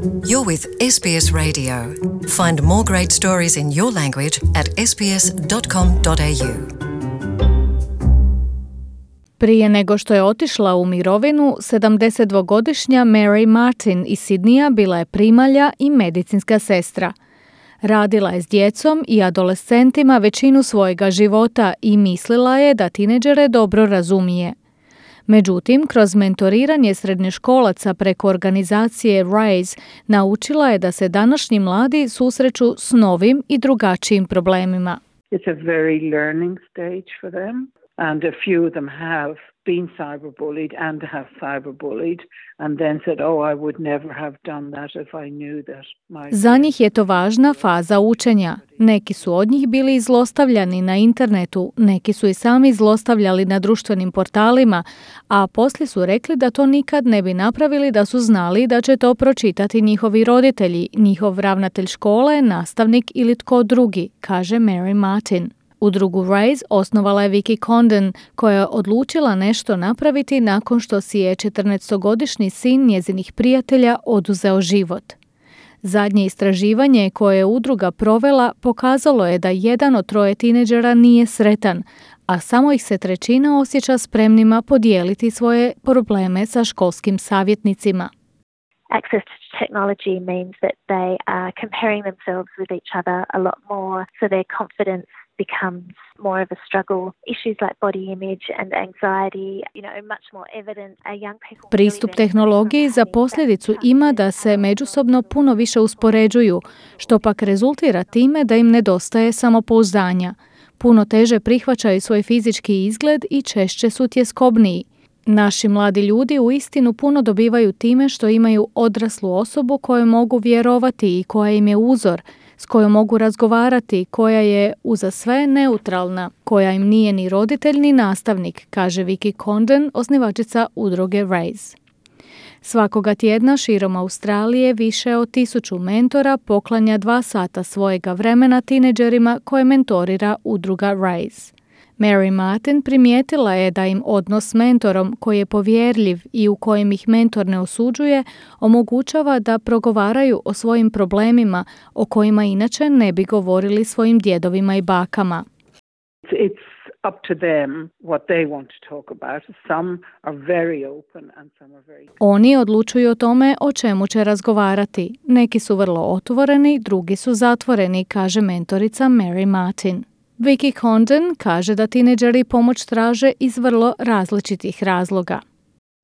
You're with SBS Radio. Find more great stories in your language at sbs.com.au. Prije nego što je otišla u mirovinu, 72-godišnja Mary Martin iz Sidneya bila je primalja i medicinska sestra. Radila je s djecom i adolescentima većinu svojega života i mislila je da tineđere dobro razumije. Međutim, kroz mentoriranje srednjoškolaca preko organizacije RISE naučila je da se današnji mladi susreću s novim i drugačijim problemima. It's a very learning stage for them, and a few of them have been cyberbullied and have cyberbullied and then said, oh, I would never have done that if I knew that. Za njih je to važna faza učenja. Neki su od njih bili zlostavljani na internetu, neki su i sami zlostavljali na društvenim portalima, a poslije su rekli da to nikad ne bi napravili da su znali da će to pročitati njihovi roditelji, njihov ravnatelj škole, nastavnik ili tko drugi, kaže Mary Martin. Udrugu RISE osnovala je Vicky Condon, koja je odlučila nešto napraviti nakon što si je 14-godišnji sin njezinih prijatelja oduzeo život. Zadnje istraživanje koje je udruga provela pokazalo je da 1 od 3 tineđera nije sretan, a samo ih se 1/3 osjeća spremnima podijeliti svoje probleme sa školskim savjetnicima. Access to technology means that they are comparing themselves with each other a lot more, so their confidence becomes more of a struggle. Issues like body image and anxiety, much more evident. Young people Pristup tehnologiji za posljedicu ima da se međusobno puno više uspoređuju, što pak rezultira time da im nedostaje samopouzdanja. Puno teže prihvaćaju svoj fizički izgled i češće su tjeskobniji. Naši mladi ljudi uistinu puno dobivaju time što imaju odraslu osobu kojoj mogu vjerovati i koja im je uzor, s kojom mogu razgovarati, koja je uza sve neutralna, koja im nije ni roditelj ni nastavnik, kaže Vicky Condon, osnivačica udruge RISE. Svakoga tjedna širom Australije više od 1000 mentora poklanja 2 sata svojega vremena tineđerima koje mentorira udruga RISE. Mary Martin primijetila je da im odnos s mentorom koji je povjerljiv i u kojem ih mentor ne osuđuje, omogućava da progovaraju o svojim problemima o kojima inače ne bi govorili svojim djedovima i bakama. It's up to them what they want to talk about. Some are very open and some are very... Oni odlučuju o tome o čemu će razgovarati. Neki su vrlo otvoreni, drugi su zatvoreni, kaže mentorica Mary Martin. Vicky Condon kaže da tineđeri pomoć traže iz vrlo različitih razloga.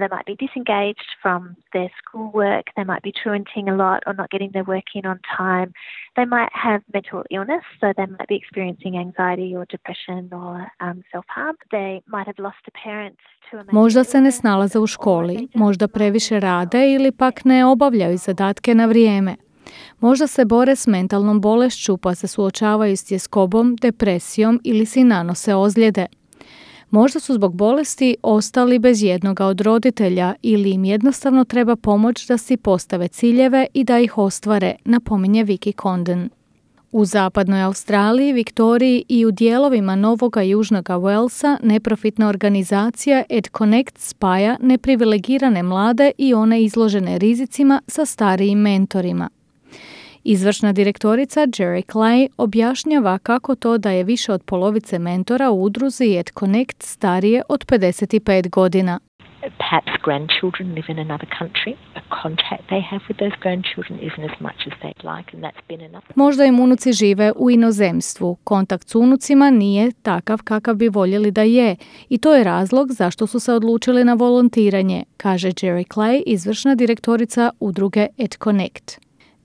They might be disengaged from their schoolwork, they might be truanting a lot or not getting their work in on time. They might have mental illness, so they might be experiencing anxiety or depression or self-harm. They might have lost a parent to a mental Možda se ne snalaze u školi, možda previše rade ili pak ne obavljaju zadatke na vrijeme. Možda se bore s mentalnom bolešću pa se suočavaju s tjeskobom, depresijom ili si nanose ozljede. Možda su zbog bolesti ostali bez jednoga od roditelja ili im jednostavno treba pomoć da si postave ciljeve i da ih ostvare, napominje Vicky Condon. U zapadnoj Australiji, Viktoriji i u dijelovima Novoga i Južnoga Walesa neprofitna organizacija EdConnect spaja neprivilegirane mlade i one izložene rizicima sa starijim mentorima. Izvršna direktorica Jerry Clay objašnjava kako to da je više od polovice mentora u udruzi EdConnect starije od 55 godina. Perhaps grandchildren live in another country. A contact they have with those grandchildren isn't as much as they'd like, and that's been enough. Možda im unuci žive u inozemstvu. Kontakt s unucima nije takav kakav bi voljeli da je i to je razlog zašto su se odlučili na volontiranje, kaže Jerry Clay, izvršna direktorica udruge EdConnect.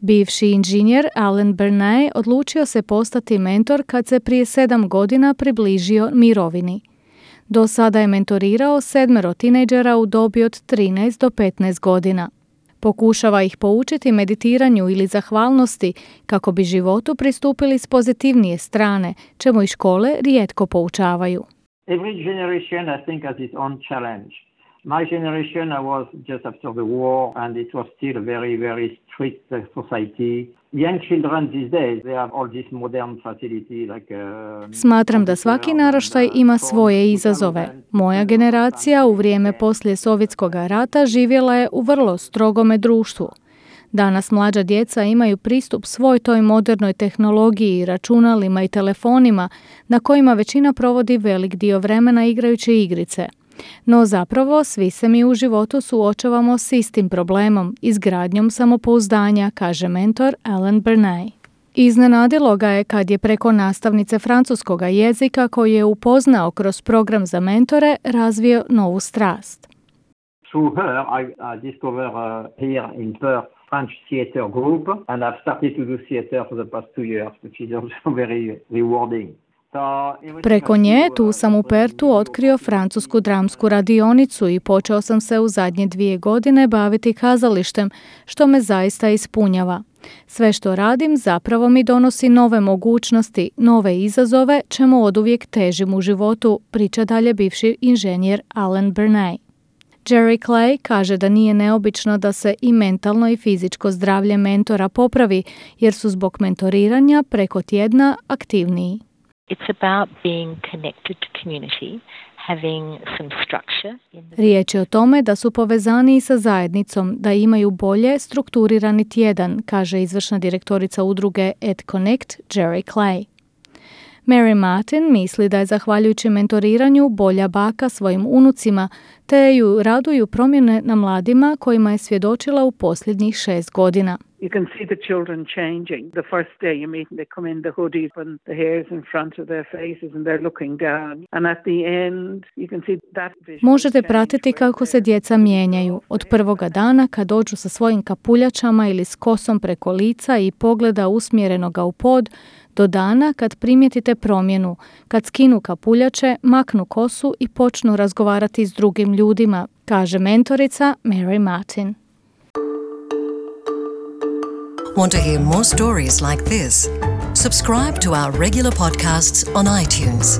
Bivši inženjer Alan Bernay odlučio se postati mentor kad se prije 7 godina približio mirovini. Do sada je mentorirao 7 tinejdžera u dobi od 13 do 15 godina. Pokušava ih poučiti meditiranju ili zahvalnosti kako bi životu pristupili s pozitivnije strane, čemu i škole rijetko poučavaju. Every generation, I think, has its own challenge. My generation, I was just after the war, and it was still a very, very strict society. Young children these days, they have all this modern facility like Smatram da svaki naraštaj ima svoje izazove. Moja generacija u vrijeme poslije Sovjetskog rata živjela je u vrlo strogome društvu. Danas mlađa djeca imaju pristup svoj toj modernoj tehnologiji, računalima i telefonima na kojima većina provodi velik dio vremena igrajući igrice. No zapravo svi se mi u životu suočavamo s istim problemom, izgradnjom samopouzdanja, kaže mentor Alan Bernay. Iznenadilo ga je kad je preko nastavnice francuskoga jezika koju je upoznao kroz program za mentore razvio novu strast. Through her, I discovered here in Perth French theater group, and I've started to do theater for the past 2 years, which is also very rewarding. Preko nje tu sam u Pertu otkrio francusku dramsku radionicu i počeo sam se u zadnje 2 godine baviti kazalištem, što me zaista ispunjava. Sve što radim zapravo mi donosi nove mogućnosti, nove izazove, čemu oduvijek težim u životu, priča dalje bivši inženjer Alan Bernay. Jerry Clay kaže da nije neobično da se i mentalno i fizičko zdravlje mentora popravi, jer su zbog mentoriranja preko tjedna aktivniji. It's about being connected to community, having some structure. Riječ je o tome da su povezani sa zajednicom, da imaju bolje strukturirani tjedan, kaže izvršna direktorica udruge EdConnect Jerry Clay. Mary Martin misli da je zahvaljujući mentoriranju bolja baka svojim unucima, te ju raduju promjene na mladima kojima je svjedočila u posljednjih 6 godina. You can see the children changing. The first day you meet them, they come in the hoodies and the hair's in front of their faces and they're looking down. And at the end, you can see that vision. Možete pratiti kako se djeca mijenjaju. Od prvoga dana kad dođu sa svojim kapuljačama ili s kosom preko lica i pogleda usmjerenoga u pod, do dana kad primijetite promjenu, kad skinu kapuljače, maknu kosu i počnu razgovarati s drugim ljudima, kaže mentorica Mary Martin. Want to hear more stories like this? Subscribe to our regular podcasts on iTunes.